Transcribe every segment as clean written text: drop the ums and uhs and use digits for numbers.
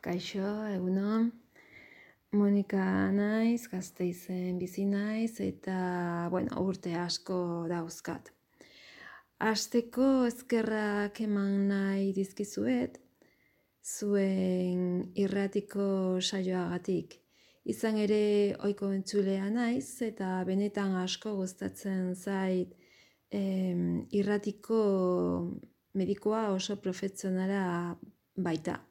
Kaixo, egunon. Monika naiz, Gasteizen bizi naiz eta, urte asko dauzkat. Hasteko eskerrak eman nahi dizkizuet, zuen irratiko saioagatik. Izan ere ohiko entzulea naiz eta benetan asko gustatzen zait irratiko medikua oso profesionala baita.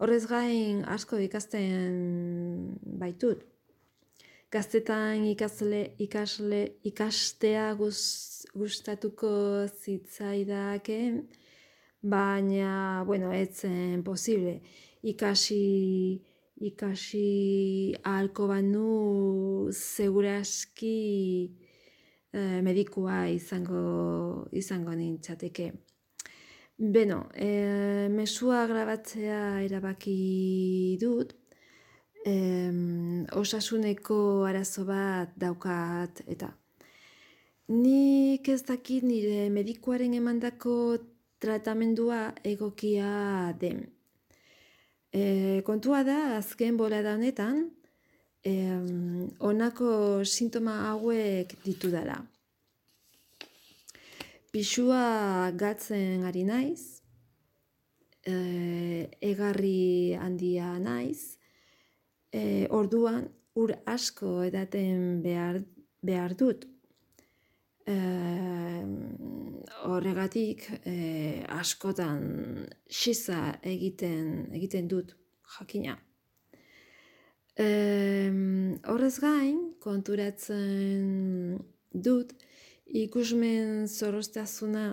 Horrez gain asko ikasten baitut. Gaztetan ikastea gustatuko zitzaidake, baina, ez zen posible. Ikasi ahalko banu seguraski medikua izango nintzateke. Mesua grabatzea erabaki dut, osasuneko arazo bat daukat eta. Nik ez dakit nire medikuaren emandako tratamendua egokia den. Kontua da, azken bolada honetan, honako sintoma hauek ditudala. Pisua galtzen ari naiz, egarri handia naiz, orduan ur asko edaten behar dut. Horregatik askotan xiza egiten dut, jakina. Horrez gain, konturatzen dut, ikusmen zorroztasuna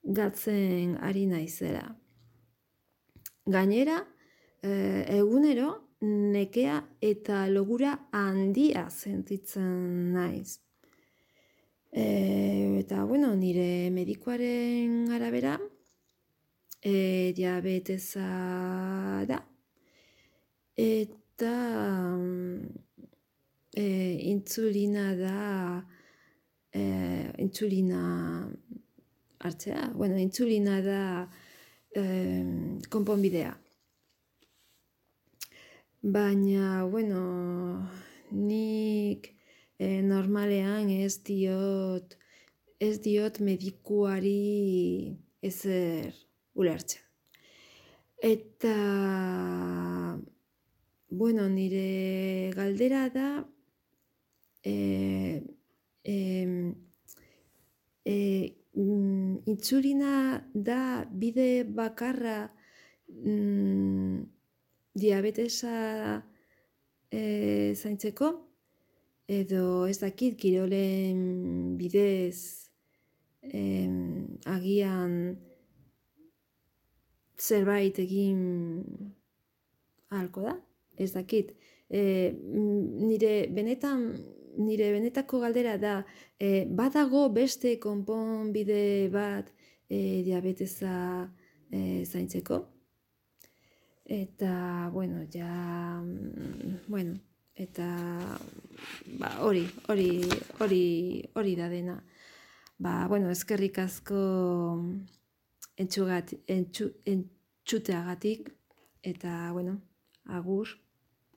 galtzen ari naizela. Gainera, egunero nekea eta logura handia sentitzen naiz. Eta, nire medikuaren arabera, diabetesa da. Eta insulina da, insulina hartzea, insulina da konponbidea. Baina, nik normalean ez diot medikuari ezer ulertzen. Eta, nire galdera da, insulina da bide bakarra diabetesa zaintzeko, edo ez dakit kirolen bidez agian zerbait egin ahalko da, ez dakit. Nire benetako galdera da, badago beste konponbide bat diabetesa zaintzeko? Eta, eta hori da dena. Eskerrik asko entzuteagatik, eta, agur.